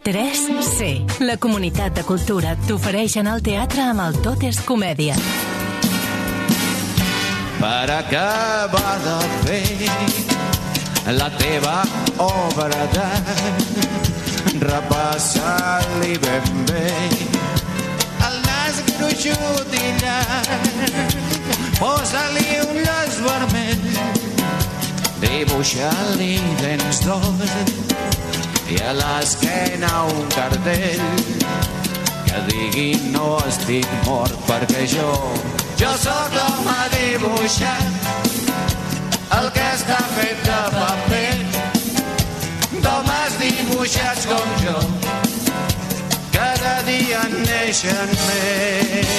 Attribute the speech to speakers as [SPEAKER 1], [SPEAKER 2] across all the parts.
[SPEAKER 1] 3C, la comunitat de cultura t'ofereix anar al teatre amb el Tot és Comèdia.
[SPEAKER 2] Per acabar de fer la teva obra d'art, repassa-li ben bé el nas gruixut i llarg, posa-li un llaç vermell, dibuixa-li dents d'or i a l'esquena un cartell que digui no estic mort, perquè jo sóc l'home dibuixat, el que està fet de paper, d'homes dibuixats com jo, cada dia en neixen més.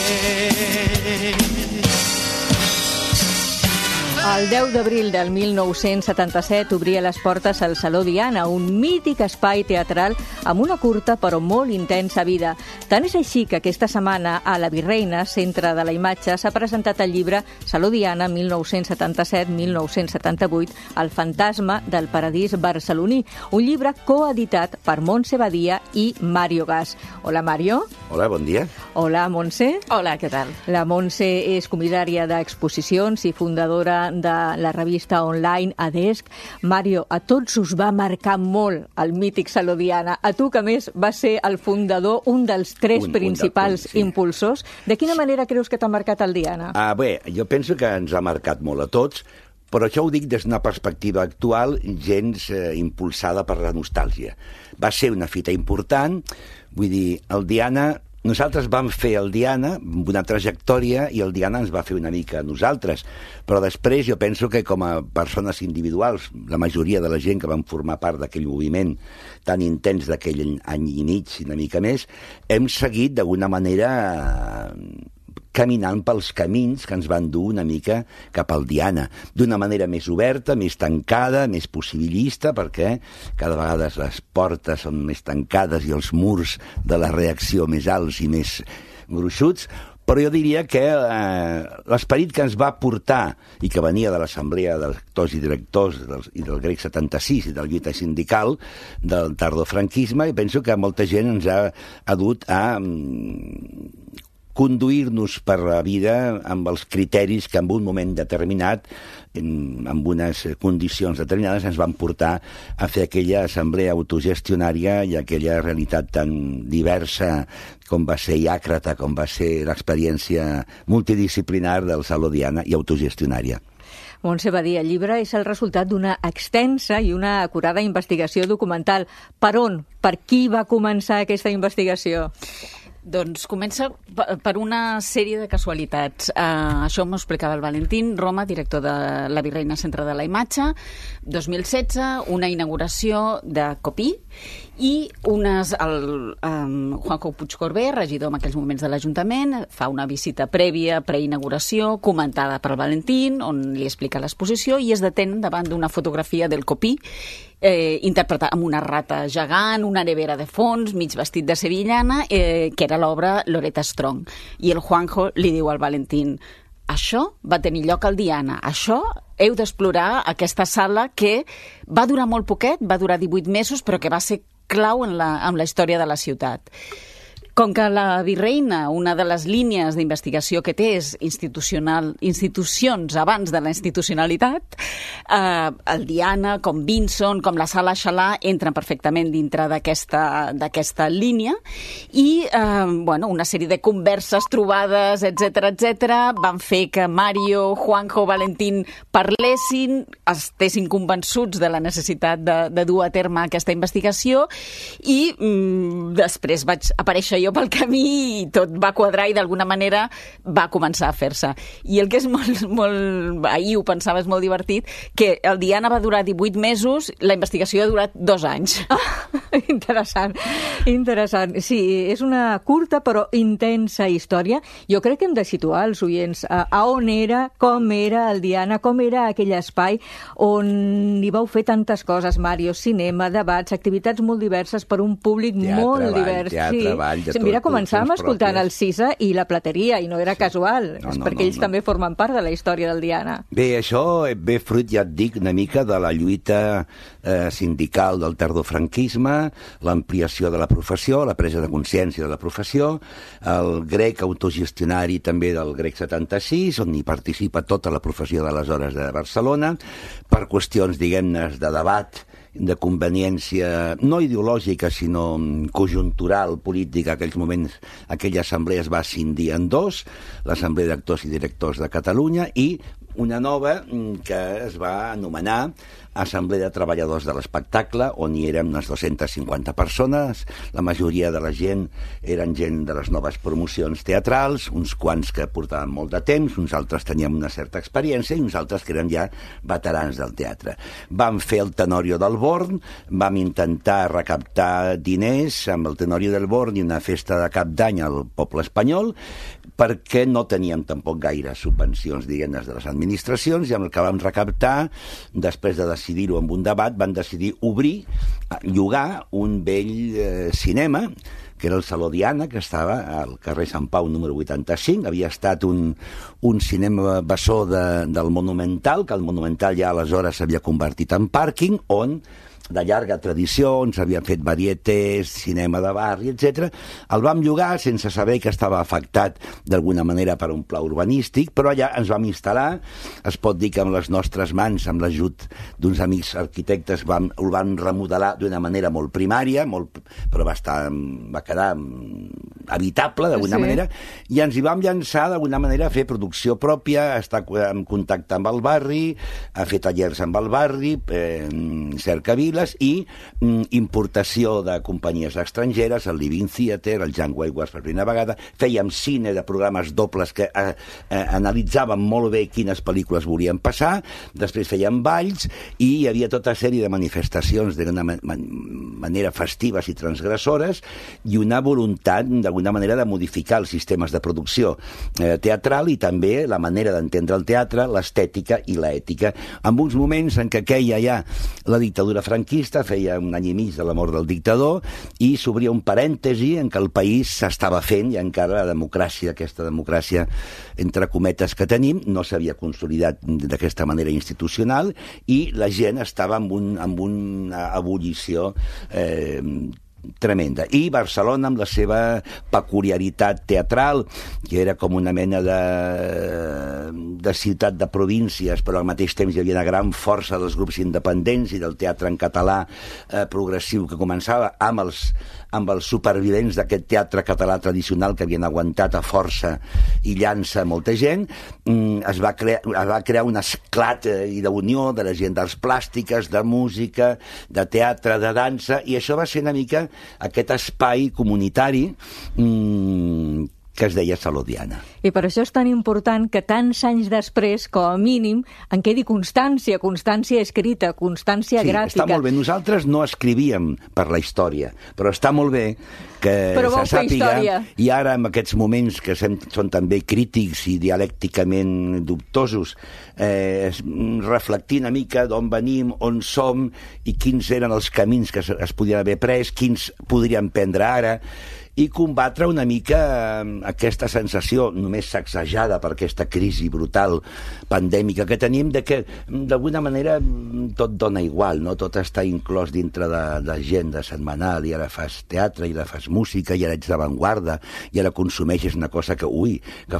[SPEAKER 3] El 10 d'abril del 1977 obria les portes al Saló Diana, un mític espai teatral amb una curta però molt intensa vida. Tant és així que aquesta setmana a la Virreina, Centre de la Imatge, s'ha presentat el llibre Saló Diana 1977-1978, El fantasma del paradís barceloní, un llibre coeditat per Montse Badia i Mario Gas. Hola, Mario.
[SPEAKER 4] Hola, bon dia.
[SPEAKER 3] Hola, Montse.
[SPEAKER 5] Hola, què tal?
[SPEAKER 3] La Montse és comissària d'exposicions i fundadora de la revista online Adesc. Mario, a tots us va marcar molt el mític Saló Diana. A tu, que més vas ser el fundador, un dels tres principals impulsors. De quina manera creus que t'ha marcat el Diana?
[SPEAKER 4] Bé, jo penso que ens ha marcat molt a tots, però això ho dic des d'una perspectiva actual, gens impulsada per la nostàlgia. Va ser una fita important, vull dir, el Diana... Nosaltres vam fer el Diana amb una trajectòria i el Diana ens va fer una mica a nosaltres, però després jo penso que com a persones individuals, la majoria de la gent que vam formar part d'aquell moviment tan intens d'aquell any i mig, una mica més, hem seguit d'alguna manera caminant pels camins que ens van dur una mica cap al Diana, d'una manera més oberta, més tancada, més possibilista, perquè cada vegada les portes són més tancades i els murs de la reacció més alts i més gruixuts, però jo diria que l'esperit que ens va portar i que venia de l'Assemblea d'Actors i Directors i del Grec 76 i de la lluita sindical del tardofranquisme, i penso que molta gent ens ha dut a conduir-nos per la vida amb els criteris que en un moment determinat, amb unes condicions determinades, ens van portar a fer aquella assemblea autogestionària i aquella realitat tan diversa com va ser i àcrata, com va ser l'experiència multidisciplinar del Saló Diana i autogestionària.
[SPEAKER 3] Montse Badia, el llibre és el resultat d'una extensa i una acurada investigació documental. Per on? Per qui va començar aquesta investigació?
[SPEAKER 5] Doncs comença per una sèrie de casualitats. Això m'ho explicava el Valentín Roma, director de la Virreina Centre de la Imatge, 2016, una inauguració de Copí, i Juanjo Puigcorbé, regidor en aquells moments de l'Ajuntament, fa una visita prèvia, preinauguració, comentada per el Valentín, on li explica l'exposició, i es detén davant d'una fotografia del Copí, interpretat amb una rata gegant, una nevera de fons, mig vestit de sevillana, que era l'obra Loretta Strong. I el Juanjo li diu al Valentín: això va tenir lloc al Diana, això heu d'explorar aquesta sala que va durar molt poquet, va durar 18 mesos, però que va ser clau en la història de la ciutat. Com que la Virreina, una de les línies d'investigació que té és institucions abans de la institucionalitat, el Diana, com Vinson, com la Sala Xalà, entren perfectament dintre d'aquesta línia i una sèrie de converses, trobades, etc van fer que Mario, Juanjo, Valentín parlessin, estessin convençuts de la necessitat de dur a terme aquesta investigació i després vaig aparèixer jo pel camí i tot va quadrar i d'alguna manera va començar a fer-se. I el que és molt ahir ho pensava, és molt divertit, que el Diana va durar 18 mesos, la investigació ha durat 2 anys.
[SPEAKER 3] Interessant. Sí, és una curta però intensa història. Jo crec que hem de situar els oients a on era, com era el Diana, com era aquell espai on hi vau fer tantes coses, Mario, cinema, debats, activitats molt diverses per un públic molt divers.
[SPEAKER 4] Teatre, ball, de
[SPEAKER 3] mira, començàvem escoltant el Sisa i la Plateria, i no era casual, perquè ells també formen part de la història del Diana.
[SPEAKER 4] Bé, això ve fruit, ja et dic, una mica de la lluita sindical del tardofranquisme, l'ampliació de la professió, la presa de consciència de la professió, el grec autogestionari també del grec 76, on hi participa tota la professió d'aleshores de Barcelona, per qüestions, diguem-ne, de debat, de conveniència no ideològica, sinó conjuntural, política. En aquells moments, aquella assemblea es va escindir en dos, l'Assemblea d'Actors i Directors de Catalunya, i una nova que es va anomenar Assemblea de Treballadors de l'Espectacle, on hi érem unes 250 persones. La majoria de la gent eren gent de les noves promocions teatrals, uns quants que portaven molt de temps, uns altres teníem una certa experiència i uns altres que eren ja veterans del teatre. Vam fer el Tenorio del Born, vam intentar recaptar diners amb el Tenorio del Born i una festa de cap d'any al poble espanyol, perquè no teníem tampoc gaire subvencions, diguem-ne, de les administracions, i amb el que vam recaptar, després de decidir-ho amb un debat, van decidir llogar un vell cinema, que era el Saló Diana, que estava al carrer Sant Pau número 85. Havia estat un cinema bessó del Monumental, que el Monumental ja aleshores s'havia convertit en pàrquing, on de llarga tradició, on s'havien fet varietés, cinema de barri, etc. El vam llogar sense saber que estava afectat d'alguna manera per un pla urbanístic, però allà ens vam instal·lar. Es pot dir que amb les nostres mans, amb l'ajut d'uns amics arquitectes, ho vam remodelar d'una manera molt primària, però va quedar habitable d'alguna manera, i ens hi vam llançar d'alguna manera a fer producció pròpia, a estar en contacte amb el barri, a fer tallers amb el barri, cercaviles, i importació de companyies estrangeres, el Living Theatre, el Jan Waywards per primera vegada. Fèiem cine de programes dobles que analitzàvem molt bé quines pel·lícules volien passar, després fèiem balls, i hi havia tota sèrie de manifestacions d'una manera festives i transgressores, i una voluntat d'alguna manera de modificar els sistemes de producció teatral i també la manera d'entendre el teatre, l'estètica i l'ètica. En uns moments en què queia ja la dictadura franquista, feia un any i mig de la mort del dictador, i s'obria un parèntesi en què el país s'estava fent, i encara la democràcia, aquesta democràcia entre cometes que tenim, no s'havia consolidat d'aquesta manera institucional, i la gent estava amb una ebullició tremenda. I Barcelona, amb la seva peculiaritat teatral, que era com una mena de ciutat de províncies, però al mateix temps hi havia una gran força dels grups independents i del teatre en català progressiu que començava amb els supervivents d'aquest teatre català tradicional que havien aguantat a força i llança molta gent. Es va crear un esclat i d'unió de la gent d'arts plàstiques, de música, de teatre, de dansa, i això va ser una mica aquest espai comunitari que es deia Saló Diana.
[SPEAKER 3] I per això és tan important que tants anys després, com a mínim, en quedi constància escrita, constància gràfica.
[SPEAKER 4] Sí, està molt bé. Nosaltres no escrivíem per la història, però està molt bé que se sàpiga, i ara en aquests moments que són també crítics i dialècticament dubtosos, reflectir una mica d'on venim, on som i quins eren els camins que es podien haver pres, quins podríem prendre ara, i combatre una mica aquesta sensació només sacsejada per aquesta crisi brutal pandèmica que tenim, de que d'alguna manera tot dona igual, no? Tot està inclòs dintre de l'agenda setmanal, i ara fas teatre, i ara fas música, i ara ets d'avantguarda, i ara consumeixes una cosa que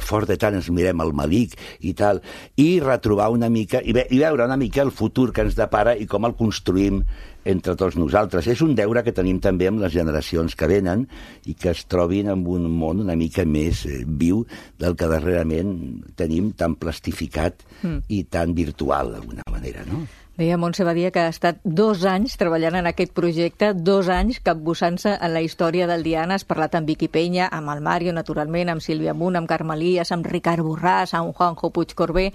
[SPEAKER 4] fort de tant ens mirem al malic i tal, i retrobar una mica, i veure una mica el futur que ens depara i com el construïm entre tots nosaltres. És un deure que tenim també amb les generacions que venen i que es trobin en un món una mica més viu del que darrerament tenim tan plastificat i tan virtual, d'alguna manera, no?
[SPEAKER 3] Deia Montse Badia que ha estat 2 anys treballant en aquest projecte, 2 anys capbussant-se en la història del Diana. Has parlat amb Vicky Peña, amb el Mario, naturalment, amb Sílvia Munt, amb Carme Elias, amb Ricard Borràs, amb Juanjo Puigcorbé.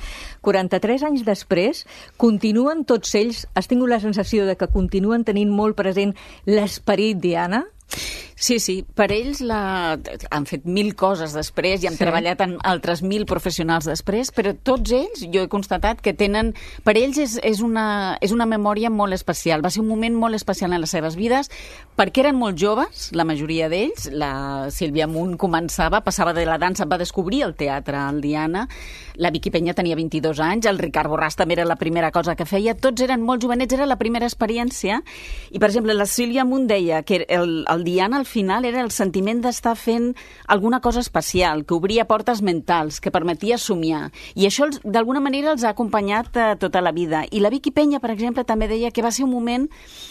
[SPEAKER 3] 43 anys després, continuen tots ells, has tingut la sensació de que continuen tenint molt present l'esperit Diana?
[SPEAKER 5] Sí, per ells han fet 1000 coses després i han treballat en altres 1000 professionals després, però tots ells, jo he constatat que tenen... Per ells és una memòria molt especial. Va ser un moment molt especial en les seves vides perquè eren molt joves, la majoria d'ells. La Sílvia Munt passava de la dansa, va descobrir el teatre al Diana. La Vicky Peña tenia 22 anys, el Ricard Borràs també era la primera cosa que feia. Tots eren molt jovenets, era la primera experiència. I, per exemple, la Sílvia Munt deia que el Diana al final era el sentiment d'estar fent alguna cosa especial, que obria portes mentals, que permetia somiar. I això, d'alguna manera, els ha acompanyat tota la vida. I la Vicky Peña, per exemple, també deia que va ser un moment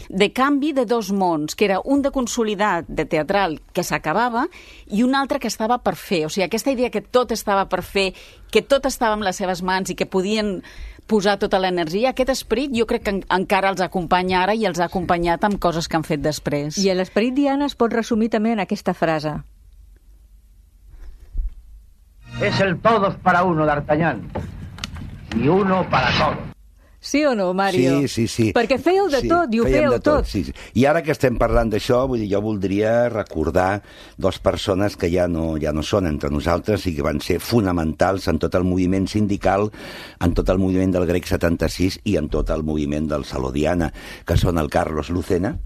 [SPEAKER 5] de canvi de 2 mons, que era un de consolidat, de teatral, que s'acabava, i un altre que estava per fer. O sigui, aquesta idea que tot estava per fer, que tot estava en les seves mans i que podien posar tota l'energia, aquest esperit jo crec que encara els acompanya ara i els ha acompanyat amb coses que han fet després.
[SPEAKER 3] I l'esperit Diana es pot resumir també en aquesta frase.
[SPEAKER 6] Es el todos para uno, D'Artagnan, y uno para todos.
[SPEAKER 3] Sí o no, Mario?
[SPEAKER 4] Sí.
[SPEAKER 3] Perquè fèieu de tot i ho fèieu tot.
[SPEAKER 4] Sí. I ara que estem parlant d'això, vull dir, jo voldria recordar 2 persones que ja no són entre nosaltres i que van ser fonamentals en tot el moviment sindical, en tot el moviment del Grec 76 i en tot el moviment del Saló Diana, que són el Carlos Lucena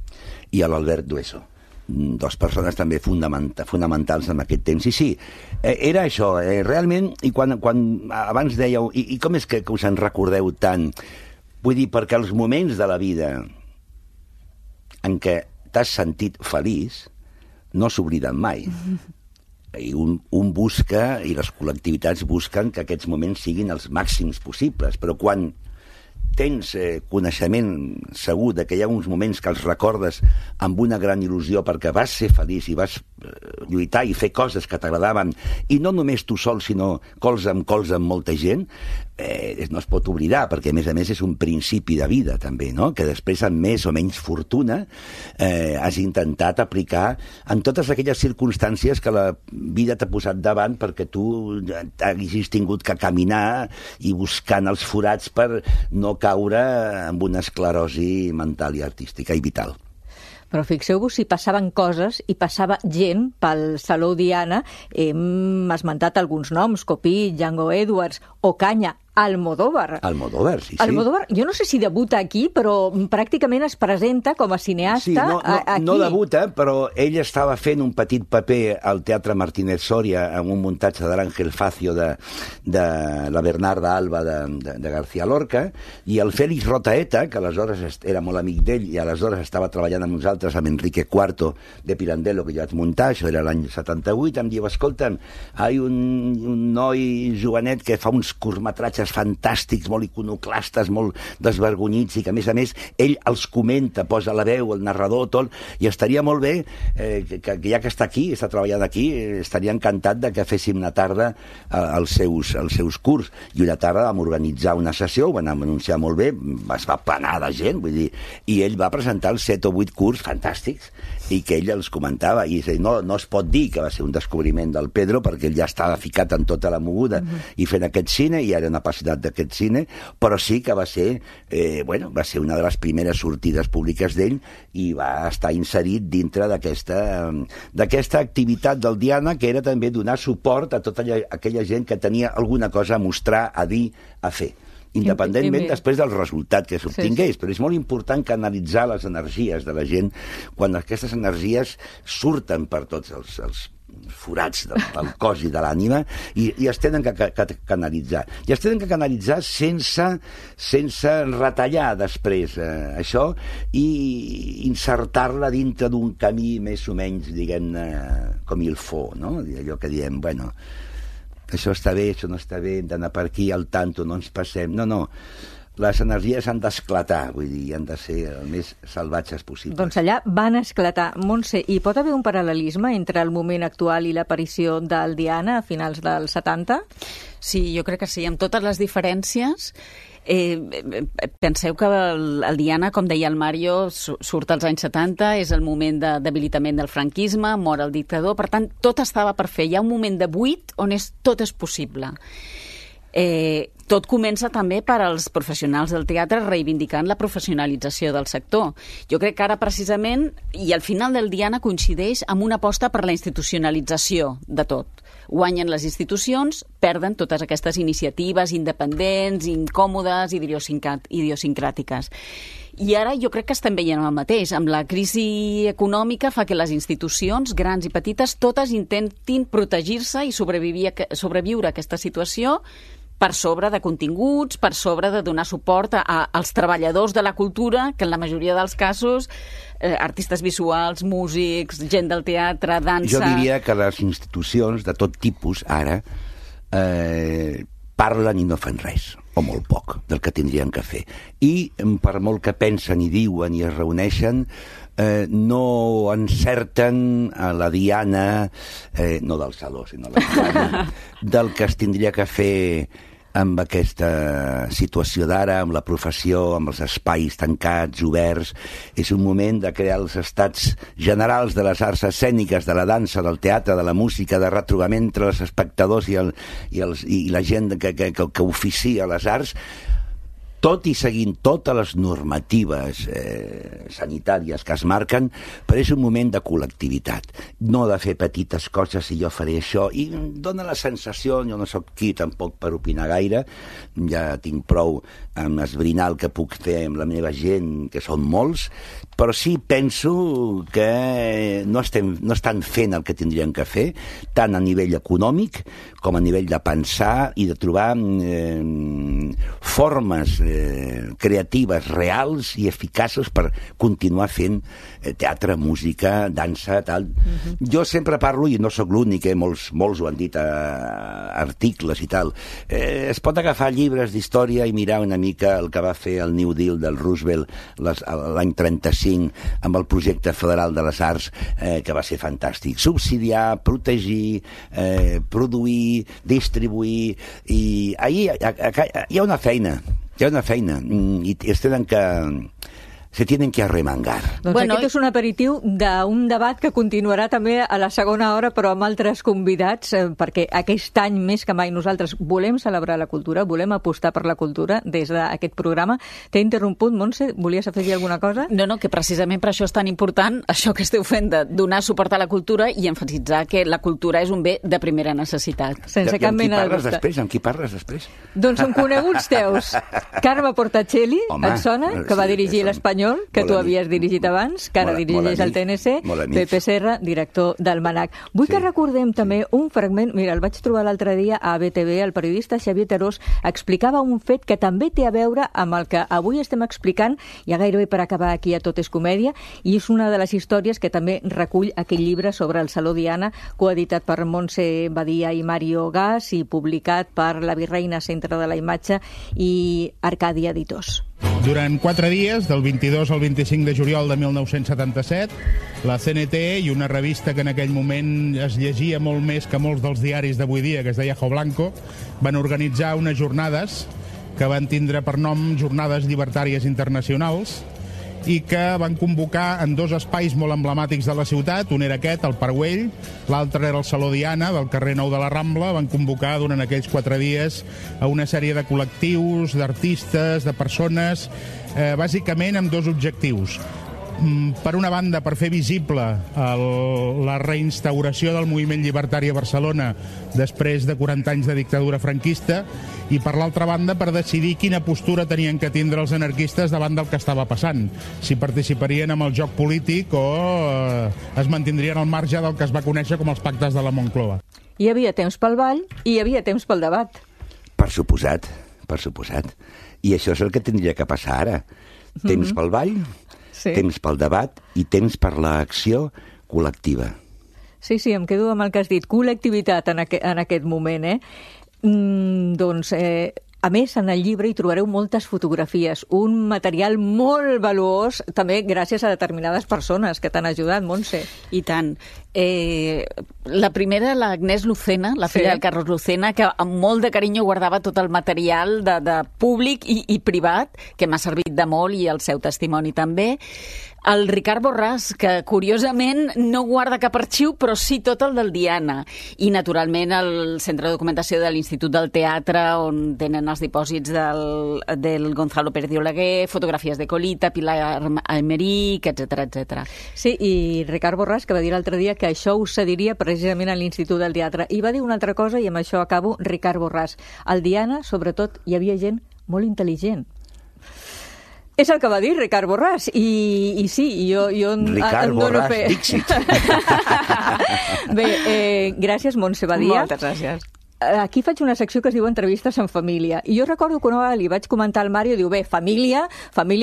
[SPEAKER 4] i l'Albert Dueso. 2 persones també fonamentals en aquest temps. I sí, era això, realment, i quan abans dèieu, i com és que us en recordeu tant? Vull dir, perquè els moments de la vida en què t'has sentit feliç no s'obliden mai. I un busca, i les col·lectivitats busquen que aquests moments siguin els màxims possibles, però quan tens coneixement segur de que hi ha uns moments que els recordes amb una gran il·lusió perquè vas ser feliç i vas lluitar i fer coses que t'agradaven, i no només tu sol, sinó colze amb molta gent, no es pot oblidar, perquè a més és un principi de vida també, no? Que després amb més o menys fortuna has intentat aplicar en totes aquelles circumstàncies que la vida t'ha posat davant perquè tu hagis tingut que caminar i buscant els forats per no caure amb una esclerosi mental i artística i vital.
[SPEAKER 3] Però fixeu-vos si passaven coses i passava gent pel Saló Diana. Hem esmentat alguns noms, Copí, Django Edwards, Ocaña, Almodóvar.
[SPEAKER 4] Almodóvar, sí.
[SPEAKER 3] Almodóvar, jo no sé si debuta aquí, però pràcticament es presenta com a cineasta aquí.
[SPEAKER 4] No debuta, però ell estava fent un petit paper al Teatre Martínez Soria en un muntatge de l'Àngel Facio de la Bernarda Alba de García Lorca, i el Félix Rotaeta, que aleshores era molt amic d'ell i aleshores estava treballant amb nosaltres, amb Enrique IV de Pirandello, que jo vaig muntar, això era l'any 78, em diu, escolta'm, hi ha un noi jovenet que fa uns curtmetratges fantàstics, molt iconoclastes, molt desvergonyits, i que a més ell els comenta, posa la veu, el narrador, tot, i estaria molt bé que ja que està aquí, està treballant aquí, estaria encantat de que féssim una tarda als seus curts. I una tarda vam organitzar una sessió, ho van anunciar molt bé, es va planar de gent, vull dir, i ell va presentar els 7 o 8 curts fantàstics, i que ell els comentava, i no es pot dir que va ser un descobriment del Pedro, perquè ell ja estava ficat en tota la moguda i fent aquest cine, i era una capacitat d'aquest cine, però sí que va ser va ser una de les primeres sortides públiques d'ell, i va estar inserit dintre d'aquesta activitat del Diana, que era també donar suport a tota aquella gent que tenia alguna cosa a mostrar, a dir, a fer, independentment després del resultat que s'obtingués. Sí. Però és molt important canalitzar les energies de la gent quan aquestes energies surten per tots els forats del cos i de l'ànima, i es tenen que canalitzar. I es tenen que canalitzar sense retallar després això, i insertar-la dintre d'un camí més o menys, diguem-ne, com il faut, no? Allò que diem, bueno, això està bé, això no està bé, hem d'anar per aquí, al tanto, no ens passem. No. Les energies han d'esclatar, vull dir, han de ser el més salvatges possible.
[SPEAKER 3] Doncs allà van esclatar. Montse, hi pot haver un paral·lelisme entre el moment actual i l'aparició del Diana a finals dels 70?
[SPEAKER 5] Sí, jo crec que sí, amb totes les diferències. Penseu que el Diana, com deia el Mario, surt als anys 70, és el moment de debilitament del franquisme, mor el dictador, per tant, tot estava per fer. Hi ha un moment de buit on tot és possible. tot comença també per als professionals del teatre reivindicant la professionalització del sector. Jo crec que ara precisament, i al final del Diana coincideix amb una aposta per la institucionalització de tot. Guanyen les institucions, perden totes aquestes iniciatives independents, incòmodes, idiosincràtiques. I ara jo crec que estem veient el mateix. Amb la crisi econòmica fa que les institucions, grans i petites, totes intentin protegir-se i sobreviure a aquesta situació per sobre de continguts, per sobre de donar suport als treballadors de la cultura, que en la majoria dels casos, artistes visuals, músics, gent del teatre, dansa...
[SPEAKER 4] Jo diria que les institucions de tot tipus, ara, parlen i no fan res, o molt poc, del que tindrien que fer. I per molt que pensen i diuen i es reuneixen, no encerten a la diana, no del saló, sinó la diana, del que es tindria que fer amb aquesta situació d'ara, amb la professió, amb els espais tancats, oberts. És un moment de crear els estats generals de les arts escèniques, de la dansa, del teatre, de la música, de retrobament entre els espectadors i la gent que oficia les arts, tot i seguint totes les normatives sanitàries que es marquen, però és un moment de col·lectivitat, no de fer petites coses i jo faré això, i dona la sensació, jo no sóc qui tampoc per opinar gaire, ja tinc prou amb esbrinar el que puc fer amb la meva gent, que són molts, però sí penso que no estan fent el que tindrien que fer, tant a nivell econòmic com a nivell de pensar i de trobar formes creatives, reals i eficaces per continuar fent teatre, música, dansa, tal. Jo sempre parlo, i no sóc l'únic, molts ho han dit a articles i tal, es pot agafar llibres d'història i mirar una mica el que va fer el New Deal del Roosevelt l'any 35 amb el projecte federal de les arts, que va ser fantàstic. Subsidiar, protegir, produir, distribuir, i ahí hi ha una feina. Hi ha una feina i se tienen que arremangar.
[SPEAKER 3] Doncs aquest és un aperitiu d'un debat que continuarà també a la segona hora, però amb altres convidats, perquè aquest any més que mai nosaltres volem celebrar la cultura, volem apostar per la cultura des d'aquest programa. T'he interromput, Montse, volies afegir alguna cosa?
[SPEAKER 5] No, que precisament per això és tan important això que esteu fent de donar suport a la cultura i emfasitzar que la cultura és un bé de primera necessitat.
[SPEAKER 3] Sense cap mena de dubte.
[SPEAKER 4] Amb qui parles després?
[SPEAKER 3] Doncs són coneguts teus. Carme Portacelli, et sona? Que va dirigir l'Espanyol, que tu havies dirigit abans, que ara dirigeix el TNC, Pepe Serra, director del MANAC. Vull que recordem també un fragment, mira, el vaig trobar l'altre dia a BTV, el periodista Xavier Terós explicava un fet que també té a veure amb el que avui estem explicant, ja gairebé per acabar aquí a Tot és Comèdia, i és una de les històries que també recull aquell llibre sobre el Saló Diana, coeditat per Montse Badia i Mario Gas i publicat per la Virreina Centre de la Imatge i Arcàdia Editors.
[SPEAKER 7] Durant 4 dies, del 22 al 25 de juliol de 1977, la CNT i una revista que en aquell moment es llegia molt més que molts dels diaris d'avui dia, que es deia Jo Blanco, van organitzar unes jornades que van tindre per nom Jornades Llibertàries Internacionals i que van convocar en 2 espais molt emblemàtics de la ciutat. Un era aquest, el Parc Güell, l'altre era el Saló Diana, del carrer Nou de la Rambla. Van convocar durant aquells 4 dies a una sèrie de col·lectius, d'artistes, de persones, bàsicament amb 2 objectius. Per una banda, per fer visible la reinstauració del moviment llibertari a Barcelona després de 40 anys de dictadura franquista, i per l'altra banda per decidir quina postura tenien que tindre els anarquistes davant del que estava passant, si participarien en el joc polític o es mantindrien al marge del que es va conèixer com els pactes de la Moncloa.
[SPEAKER 3] Hi havia temps pel ball i hi havia temps pel debat.
[SPEAKER 4] Per suposat. I això és el que tindria que passar ara. Temps pel ball, temps pel debat i temps per l'acció col·lectiva.
[SPEAKER 3] Sí, em quedo amb el que has dit, col·lectivitat en aquest moment, Doncs, a més, en el llibre hi trobareu moltes fotografies, un material molt valuós, també gràcies a determinades persones que t'han ajudat, Montse.
[SPEAKER 5] I tant. La primera, l'Agnès Lucena, la filla del Carlos Lucena, que amb molt de carinyo guardava tot el material de públic i privat, que m'ha servit de molt, i el seu testimoni també. El Ricard Borràs, que curiosament no guarda cap arxiu, però sí tot el del Diana. I, naturalment, el Centre de Documentació de l'Institut del Teatre, on tenen els dipòsits del Gonzalo Pérez de Oleguer, fotografies de Colita, Pilar Aymerich, etc.
[SPEAKER 3] Sí, i Ricard Borràs, que va dir l'altre dia que això ho cediria precisament a l'Institut del Teatre. I va dir una altra cosa, i amb això acabo, Ricard Borràs. Al Diana, sobretot, hi havia gent molt intel·ligent. És el que va dir Ricard Borràs, i sí, jo
[SPEAKER 4] Ricard Borràs, Dixit.
[SPEAKER 3] Bé, gràcies, Montse Badia.
[SPEAKER 5] Moltes gràcies.
[SPEAKER 3] Aquí faig una secció que es diu Entrevistes en família. I jo recordo que una vegada li vaig comentar al Mario, diu, bé, família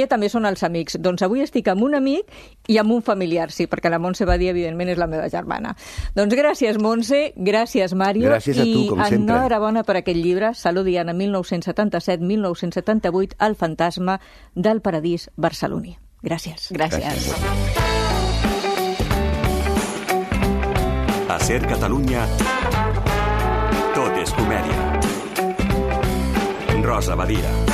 [SPEAKER 3] també són els amics. Doncs avui estic amb un amic i amb un familiar, sí, perquè la Montse Badia, evidentment, és la meva germana. Doncs gràcies, Montse, gràcies, Mario.
[SPEAKER 4] Gràcies a tu, com sempre.
[SPEAKER 3] I enhorabona per aquest llibre, Salut Diana, 1977-1978, El fantasma del paradís barceloní. Gràcies.
[SPEAKER 5] Gràcies.
[SPEAKER 8] A Ser Catalunya, tot és comèdia. Rosa Badia.